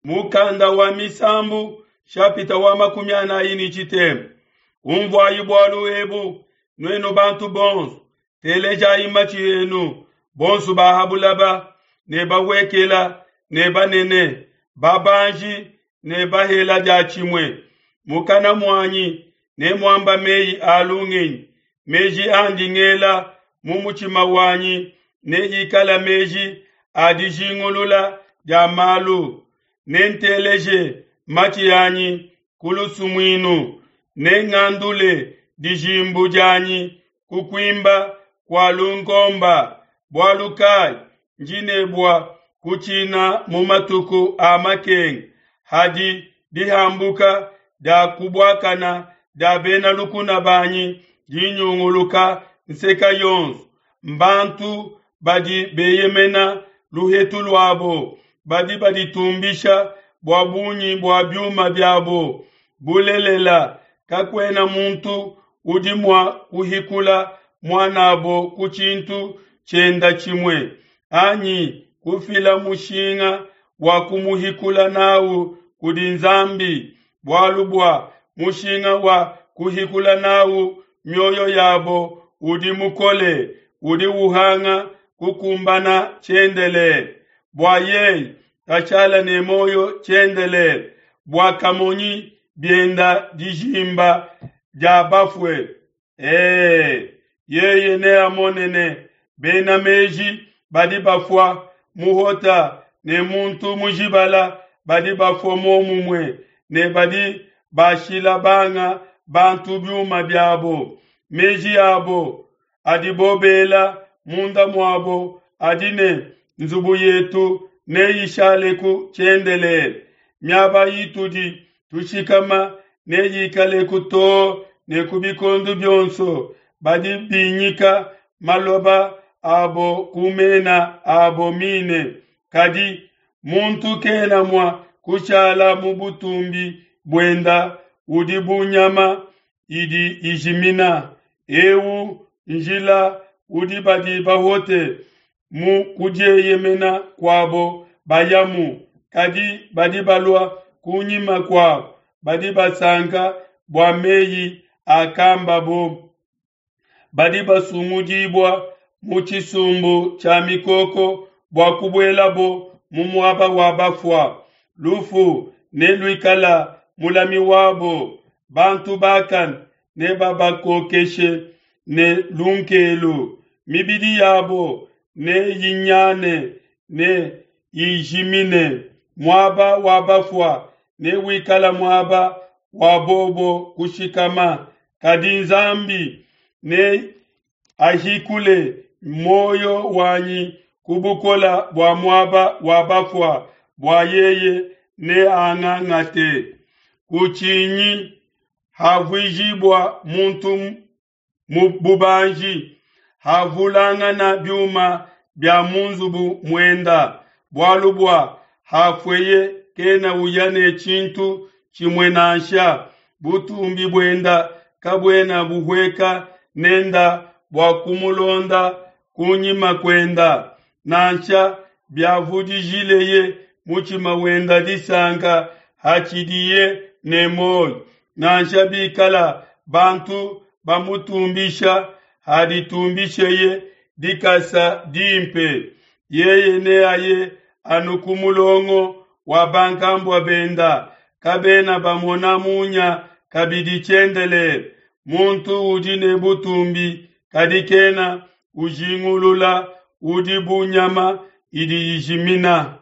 Mukanda wa Misambu shapita wa 43. Umvuayi bualu ebu, nuenu bantu bonso, telejayi matshi enu, bonso ba ha bulaba, ne bahuekela ne banene, babanji ne bahela diatshimue. Mukana muanyi nemuamba meyi a lungenyi, meji andi ngela mu mutshima wanyi neikala meji a dijingulula dia malu. Nenteleje matshi anyi ku lusumuinu, nengandule dijimbu dianyi ku kuimba kua lunkomba. Bualu kai ndi ne bua kutshina mu matuku a makenga, hadi dihambuka dia kubuakana dia bena lukuna banyi dinyunguluka nseka yonso. Mbantu badi beyemena luhetu luabo, badi baditumbisha bua bungi bua biuma biabo. Bulelela, kakuena muntu udi mua kuhikula muan'abo ku tshintu tshienda tshimue, anyi kufila mushinga wa kumuhikula n'au kudi Nzambi, bualu bua mushinga wa kuhikula n'au mioyo yabo udi mukole, udi uhanga kukumbana tshiendelele. Bua yeye kashala ne muoyo tshiendelele, bua kamonyi bienda dijimba dia bafue. Ee, yeye neamone ne bena meji badi bafua muhota ne muntu mujibala badi bafua muomumue ne badi bashila banga bantu biuma biabo. Meji abo adibo bela munda muabo adi ne nzubu yetu neyishaleku tshiendelele, miaba itudi tushikama neyikaleku too ne ku bikondo bionso. Badi binyika maloba abo ku mena abo mine, kadi muntu kena mua kushala mu butumbi buenda udi bu nyama idi ijimina. Eu njila udi badi bahote mu kudieyemena kuabo bayamu, kadi badi balua kunyima kuabo badi basanka bua meyi akambabo. Badi basungudibua mu tshisumbu tshia mikoko bua kubuelabo mu muaba wa bafua. Lufu neluikala mulami wabo, bantu bakane nebabakokeshe ne lunkelu. Mibidi yabo neyinyane ne ijimine. Muaba wa bafua newikala muaba wa bobo kushikama, kadi Nzambi ne ahikule muoyo wanyi ku bukola bua muaba wa bafua, bua yeye neangangate. Kutshinyi havuijibua muntu mu bubanji, havulangana biuma bia mu nzubu muenda, bualu bua hafueye kena uya ne tshintu tshimue nansha. Butumbi buenda kabuena buhueka nenda bua kumulonda kunyima kuenda, nansha biavudijileye mutshima wenda disanka hatshidiye ne muoyo, nansha bikala bantu bamutumbisha haditumbisheye dikasa dimpe. Yeye neaye anu ku mulongo wa bankambua benda, kabena bamona munya kabidi tshiendelele. Muntu udi ne butumbi kadi kena ujingulula udi bu nyama idi ijimina.